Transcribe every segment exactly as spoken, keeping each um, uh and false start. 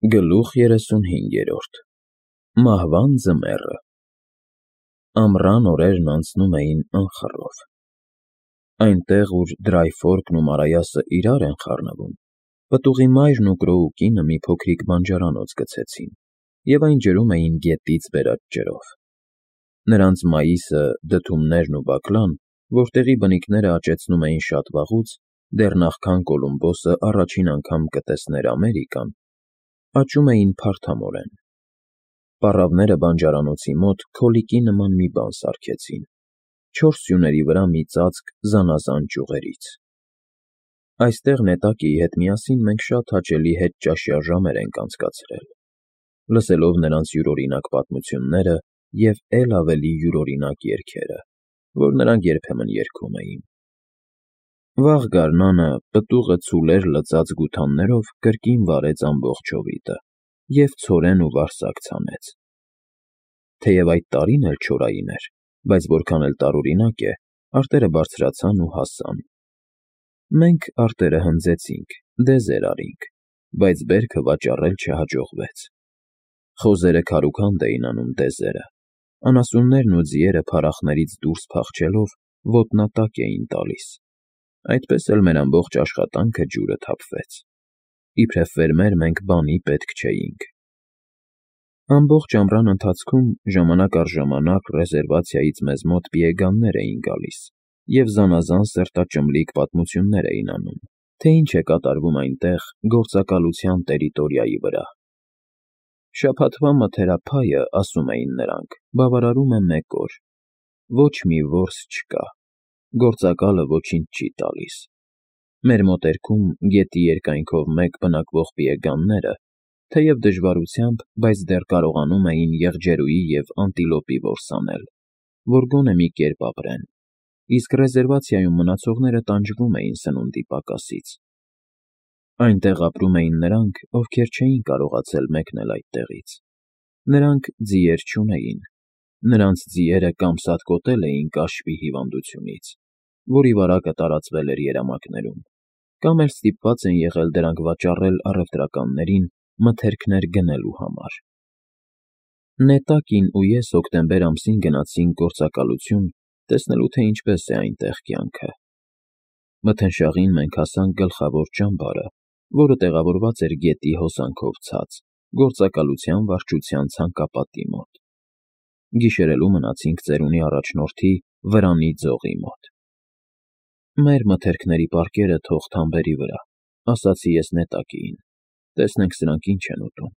Գլուխ երեսունհինգերորդ Մահվան ձմեռը Ամռան օրերն անցնում էին անխռով։ Այնտեղ, ուր Դրայֆորքն ու Մարայասը իրար են խառնվում, պտուղի մայրն ու Կրոուկինը մի փոքրիկ բանջարանոց գցեցին և այն ջրում էին գետից բերած ջրով։ Նրանց մայիսը, դդումներն ու բակլան, որտեղի բնիկները աճեցնում էին շատ վաղուց, դեռ նախքան Կոլումբոսը առաջին անգամ կտեսներ Ամերիկան, աճում էին փարթամորեն։ Պառավները բանջարանոցի մոտ քոլիկի նման մի բան սարքեցին, չորս սյուների վրա մի ծածկ զանազան ճյուղերից։ Այստեղ Նետակիի հետ միասին մենք շատ հաճելի հետճաշյա ժամեր ենք անցկացրել, լսելով նրանց յուրօրինակ պատմությունները և էլ ավելի յուրօրինակ երգերը, որ նրանք երբեմն երգում էին։ Վաղ գարնանը պտուղը ցուլեր լծած գութաններով կրկին վարեց ամբողջ հովիտը և ցորեն ու վարսակ ցանեց։ Թեև այդ տարին էլ չորային էր, բայց որքան էլ տարօրինակ է, արտերը բարձրացան ու հասան։ Մենք արտերը հնձեցինք, դեզեր արինք, բայց բերքը վաճառել չհաջողվեց։ Խոզերը քարուքանդ էին անում դեզերը, անասուններն ու ձիերը փարախներից դուրս փախչելով ոտնատակ էին տալիս, այդպես էլ մեր ամբողջ աշխատանքը ջուրը թափվեց։ Իբրև ֆերմեր մենք բանի պետք չէինք։ Ամբողջ ամռան ընթացքում ժամանակ առ ժամանակ ռեզերվացիայից մեզ մոտ պիեգաններ էին գալիս և զանազան սրտաճմլիկ պատմություններ էին անում, թե ինչ է կատարվում այնտեղ գործակալության տերիտորիայի վրա։ Շաբաթվա մթերափայը, ասում էին նրանք, բավարարում է մեկ օր, ոչ մի որս չկա, գործակալը ոչինչ չի տալիս։ Մեր մոտերքում գետի երկայնքով մեկ բնակվող պիեգանները, թեև դժվարությամբ, բայց դեռ կարողանում էին եղջերուի և անտիլոպի որս անել, որ գոնե մի կերպ ապրեն, իսկ ռեզերվացիայում մնացողները տանջվում էին սնունդի պակասից։ Այնտեղ ապրում էին նրանք, ովքեր չէին կարողացել մեկնել այդտեղից։ Նրանք ձիեր չունեին, նրանց ձիերը կամ սատկոտել էին կաշվի հիվանդությունից, որի վարակը տարածվել էր երամակներում, կամ էլ ստիպված են եղել դրանք վաճառել առևտրականներին մթերքներ գնելու համար։ Նետակին ու ես հոկտեմբեր ամսին գնացինք գործակալություն տեսնելու, թե ինչպես է այնտեղ կյանքը։ Մթնշաղին մենք հասանք գլխավոր ճամբարը, որը տեղավորված էր գետի հոսանքով ցած, գործակալության վարչության ցանկապատի մոտ։ Գիշերելու մնացինք ծերունի առաջնորդի Վրանի ձողի մոտ։ Մեր մթերքների պարկերը թող թամբերի վրա, ասացի ես Նետակիին, տեսնենք սրանք ինչ են ուտում։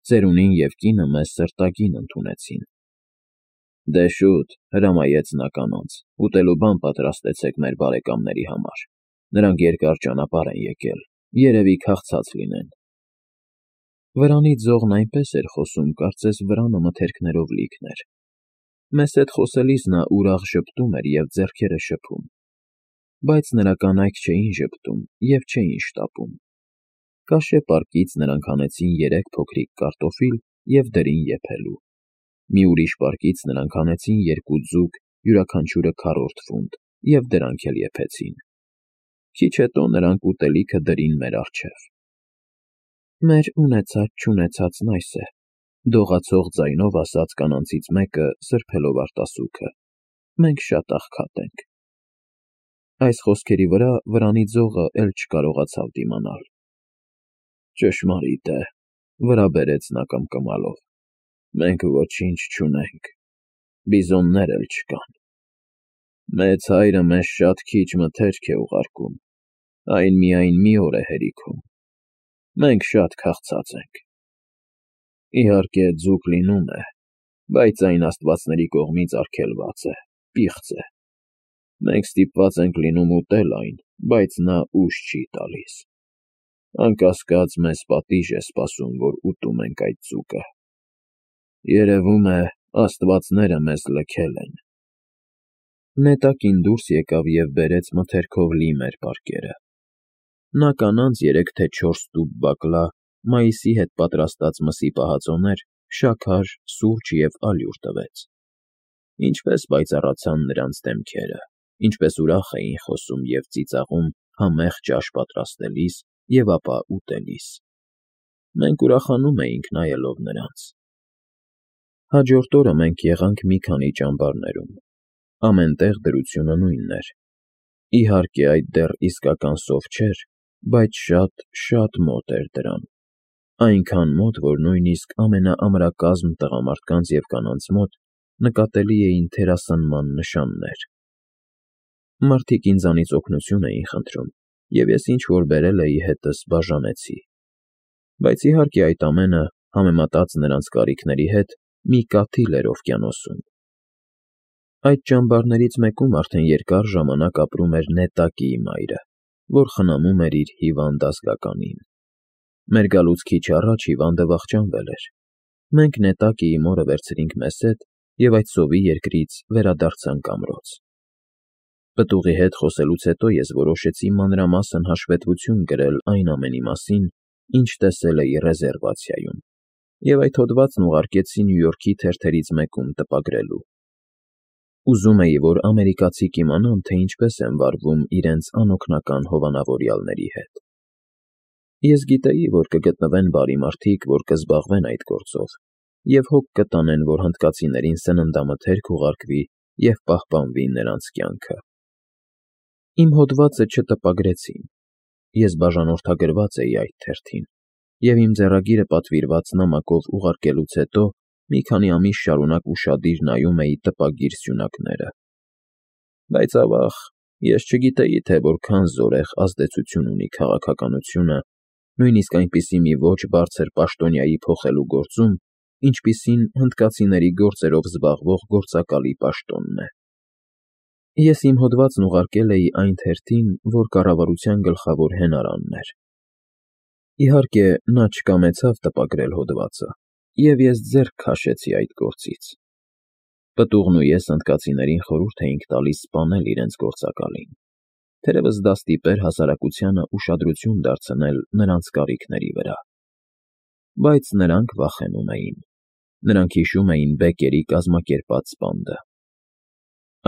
Ծերունին և կինը մեզ սրտագին ընդունեցին։ Դե շուտ, հրամայեց նա կանանց, ուտելու բան պատրաստեցեք մեր բարեկամների համար, նրանք երկար ճանապարհ են եկել, երևի քաղցած լինեն։ Վրանի ձողն այնպես էր խոսում, կարծես վրանը մթերքներով լիքն էր։ Մեզ հետ խոսելիս նա ուրախ ժպտում էր և ձեռքերը շփում, բայց նրա կանայք չէին ժպտում և չէին շտապում։ Կաշե պարկից նրանք հանեցին երեք փոքրիկ կարտոֆիլ և դրին եփելու։ Մի ուրիշ պարկից նրանք հանեցին երկու ձուկ, յուրաքանչյուրը քառորդ ֆունտ, և դրանք էլ եփեցին։ Քիչ հետո նրանք ուտելիքը դրին մեր առջև։ Մեր ունեցած֊չունեցածն այս է, դողացող ձայնով ասաց կանանցից մեկը, սրբելով արտասուքը։ Մենք շատ աղքատ ենք։ Այս խոսքերի վրա Վրանի ձողը էլ չկարողացավ դիմանալ։ Ճշմարիտ է, վրա բերեց նա կմկմալով, մենք ոչինչ չունենք, բիզոններ էլ չկան։ Մեծ հայրը մեզ շատ քիչ մթերք է ուղարկում, այն միայն մի օր է հերիքում, մենք շատ քաղցած ենք։ Իհարկե ձուկ լինում է, բայց այն աստվածների կողմից արգելված է, պիղծ է։ Մենք ստիպված ենք լինում ուտել այն, բայց նա ուժ չի տալիս։ Անկասկած մեզ պատիժ է սպասում, որ ուտում ենք այդ ձուկը։ Երևում է, աստվածները մեզ լքել են։ Նետակին դուրս եկավ և բերեց մթերքով լի մեր պարկերը։ Նա կանանց երեք թե չորս տուփ բակլա, մայիսի հետ պատրաստած մսի պահածոներ, շաքար, սուրճ և ալյուր տվեց։ Ինչպես պայծառացան նրանց դեմքերը, ինչպես ուրախ էին խոսում և ծիծաղում համեղ ճաշ պատրաստելիս և ապա ուտելիս։ Մենք ուրախանում էինք նայելով նրանց։ Հաջորդ օրը մենք եղանք մի քանի ճամբարներում, ամեն տեղ դրությունը նույնն էր։ Իհարկե, այդ դեռ իսկական սով չէր, բայց շատ, շատ մոտ էր դրան, այնքան մոտ, որ նույնիսկ ամենաամրակազմ տղամարդկանց և կանանց մոտ նկատելի էին թերասանման նշաններ։ Մարդիկ ինձանից օգնություն էին խնդրում, և ես ինչ֊որ բերել էի հետս բաժանեցի։ Բայց իհարկե այդ ամենը, համեմատած նրանց կարիքների հետ, մի կաթիլ էր օվկիանոսում։ Այդ ճամբարներից մեկում արդեն երկար ժամանակ ապրում էր Նետակիի մայրը, որ խնամում էր իր հիվանդ ազգականին։ Մեր գալուց քիչ առաջ հիվանդը վախճանվել էր։ Մենք Նետակիի մորը վերցրինք մեզ հետ և այդ սովի երկրից վերադարձանք ամրոց։ Պտուղի հետ խոսելուց հետո ես որոշեցի մանրամասն հաշվետվություն գրել այն ամենի մասին, ինչ տեսել էի ռեզերվացիայում, և այդ հոդվածն ուղարկեցի Նյու Յորքի թերթերից մեկում տպագրելու։ Ուզում էի, որ ամերիկացիք իմանան, թե ինչպես են վարվում իրենց անօգնական հովանավորյալների հետ։ Ես գիտեի, որ կգտնվեն բարի մարդիկ, որ կզբաղվեն այդ գործով, և հոգ կտանեն, որ հնդկացիներին սննդամթերք ուղարկվի և պահպանվի նրանց կյանքը։ Իմ հոդվածը չտպագրեցին։ Ես բաժանորդագրված էի այդ թերթին, և իմ ձեռագիրը պատվիրված նամակով ուղարկելուց հետո մի քանի ամիս շարունակ ուշադիր նայում էի տպագիր սյունակները։ Բայց, ավաղ, ես չգիտեի, թե որքան զորեղ ազդեցություն ունի քաղաքականությունը, նույնիսկ այնպիսի մի ոճ բարձր պաշտոնյայի փոխելու գործում, ինչպիսին հնդկացիների գործերով զբաղվող գործակալի պաշտոնն է։ Ես իմ հոդվածն ուղարկել էի այն թերթին, որ կառավարության գլխավոր հենարանն էր։ Իհարկե, նա չկամեցավ տպագրել հոդվածը, և ես ձեռք քաշեցի այդ գործից։ Պտուղն ու ես հնդկացիներին խորհուրդ էինք տալիս սպանել իրենց գործակալին, թերևս դա ստիպեր հասարակությանը ուշադրություն դարձնել նրանց կարիքների վրա։ Բայց նրանք վախենում էին։ Նրանք հիշում էին Բեկերի կազմակերպած սպանդը։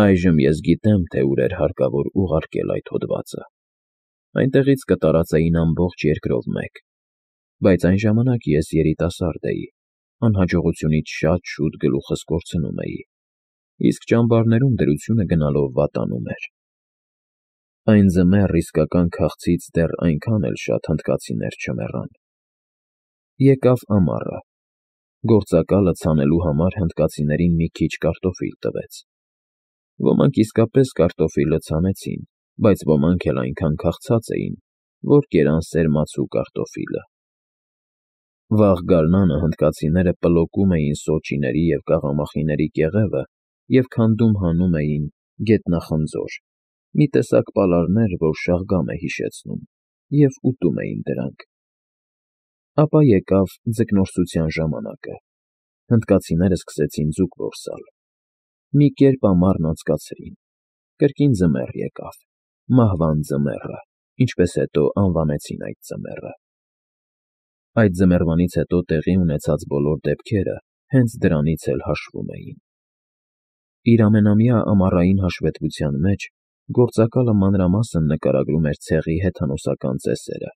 Այժմ ես գիտեմ, թե ուր էր հարկավոր ուղարկել այդ հոդվածը։ Այնտեղից կտարածեին ամբողջ երկրով մեկ։ Բայց այն ժամանակ ես երիտասարդ էի, անհաջողությունից շատ շուտ գլուխս կորցնում էի, իսկ ճամբարներում դրությունը գնալով վատանում էր։ Այն ձմեռ իսկական քաղցից դեռ այնքան էլ շատ հնդկացիներ չմեռան։ Եկավ ամառը։ Գործակալը ցանելու համար հնդկացիներին մի քիչ կարտոֆիլ տվեց։ Ոմանք իսկապես կարտոֆիլը ցանեցին, բայց ոմանք էլ այնքան քաղցած էին, որ կերան սերմացու կարտոֆիլը։ Վաղ գարնանը հնդկացիները պլոկում էին սոճիների և կաղամախիների կեղևը և քանդում հանում էին գետնախնձոր, մի տեսակ պալարներ, որ շաղգամ է հիշեցնում, և ուտում էին դրանք։ Ապա եկավ ձկնորսության ժամանակը։ Հնդկացիները սկսեցին ձուկ որսալ։ Մի կերպ ամառն անցկացրին։ Կրկին ձմեռ եկավ, մահվան ձմեռը, ինչպես հետո անվանեցին այդ ձմեռը։ Այդ ձմեռվանից հետո տեղի ունեցած բոլոր դեպքերը հենց դրանից էլ հաշվում էին։ Իր ամենամյա ամառային հաշվետվության մեջ գործակալը մանրամասն նկարագրում էր ցեղի հեթանոսական ծեսերը,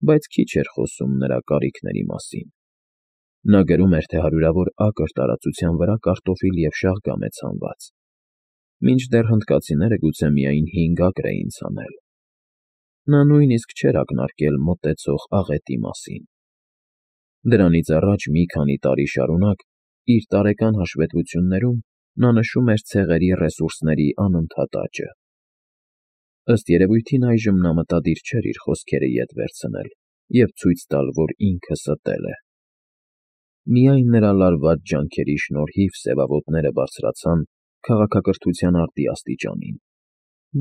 բայց քիչ էր խոսում նրա կարիքների մասին։ Նա գրում էր, թե հարյուրավոր ակր տարածության վրա կարտոֆիլ և շաղգամ է ցանված, մինչդեռ հնդկացիները գուցե միայն հինգ ակր էին ցանել։ Նա նույնիսկ չէր ակնարկել մոտեցող աղետի մասին։ Դրանից առաջ մի քանի տարի շարունակ իր տարեկան հաշվետվություններում նա նշում էր ցեղերի ռեսուրսների անընդհատ աճը։ Ըստ երևույթին այժմ նա մտադիր չէր իր խոսքերը ետ վերցնել և ցույց տալ, որ ինքը ստել է։ Միայն նրա լարված ջանքերի շնորհիվ սևավոտները բարձրացան քաղաքակրթության արտի աստիճանին,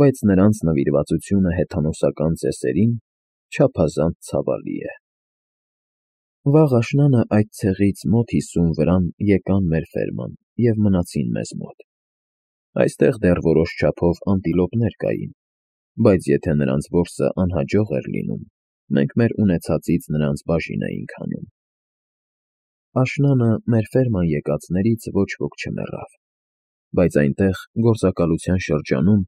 բայց նրանց նվիրվածությունը հեթանոսական ծեսերին չափազանց ցավալի է։ Վաղ աշնանը այդ ցեղից մոտ հիսուն վրան եկան մեր ֆերման և մնացին մեզ մոտ։ Այստեղ դեռ որոշ չափով անտիլոպներ կային, բայց եթե նրանց որսը անհաջող էր լինում, մենք մեր ունեցածից նրանց բաժին էինք հանում։ Աշնանը մեր ֆերման եկածներից ոչ ոք չմեռավ, բայց այնտեղ, գործակալության շրջանում,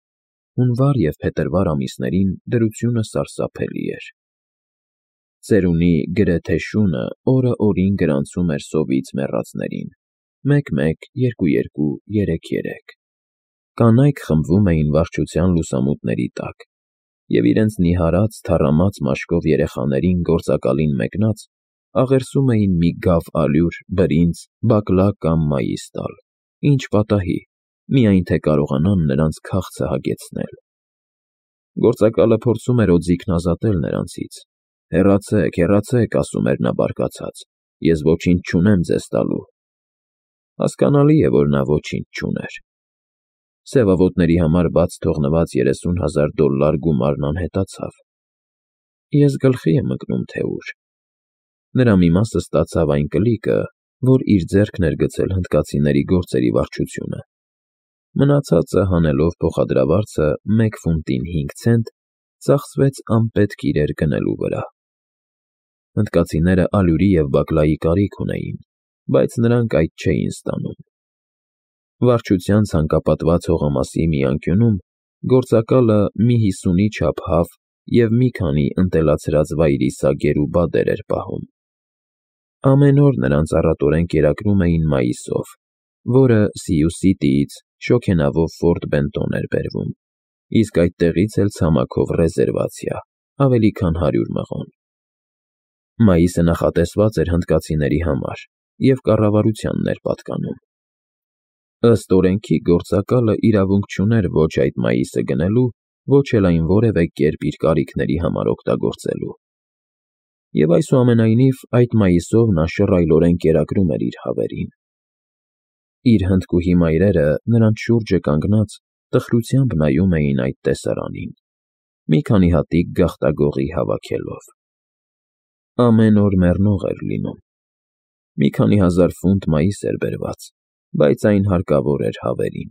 հունվար և փետրվար ամիսներին դրությունը սարսափելի էր։ Ծերունի գրեթե շունը օրը օրին գրանցում էր սովից մեռածներին. մեկ֊մեկ, երկու֊երկու, երեք֊երեք։ Կանայք խմբվում էին վարչության լուսամուտների տակ, և իրենց նիհարած, թառամած մաշկով երեխաներին գործակալին մեկնած աղերսում էին մի գավ ալյուր, բրինձ, բակլա կամ մայիս տալ, ինչ պատահի, միայն թե կարողանան նրանց քաղցը հագեցնել։ Գործակալը փորձում էր օձիքն ազատել նրանցից. «Հեռացեք, հեռացեք», ասում էր նա բարկացած, «ես ոչինչ չունեմ ձեզ տալու»։ Հասկանալի է, որ նա ոչինչ չուներ։ Սևավոտների համար բաց թողնված երեսուն հազար դոլլար գումարն անհետացավ։ Ես գլխի եմ ընկնում, թե ուր։ Նրա մի մասը ստացավ այն կլիկը, որ իր ձեռքն էր գցել հնդկացիների գործերի վարչությունը։ Մնացածը, հանելով փոխադրավարձը մեկ ֆունտին հինգ ցենտ, ծախսվեց անպետք իրեր գնելու վրա։ Հնդկացիները ալյուրի և բակլայի կարիք ունեին, բայց նրանք այդ չէին ստանում։ Վարչության ցանկապատված հողամասի մի անկյունում գործակալը մի հիսունի չափ հավ և մի քանի ընտելացրած վայրի սագեր ու բադեր էր պահում։ Ամեն օր նրանց առատորեն կերակրում էին մայիսով, որը Սիու-Սիտիից շոգենավով Ֆորտ Բենտոն էր բերվում, իսկ այդտեղից էլ ցամաքով ռեզերվացիա, ավելի քան հարյուր մղոն։ Մայիսը նախատեսված էր հնդկացիների համար և կառավարությանն էր պատկանում։ Ըստ օրենքի գործակալը իրավունք չուներ ոչ այդ մայիսը գնելու, ոչ էլ այն որևէ կերպ իր կարիքների համար օգտագործելու։ Եվ այսուամենայնիվ այդ մայիսով նա շռայլորեն կերակրում էր իր հավերին։ Իր հնդկուհի մայրերը նրանց շուրջը կանգնած տխրությամբ նայում էին այդ տեսարանին, մի քանի հատիկ գաղտագողի հավաքելով։ Ամեն օր մեռնող էր լինում։ Մի քանի հազար ֆունտ մայիս էր բերված, բայց այն հարկավոր էր հավերին։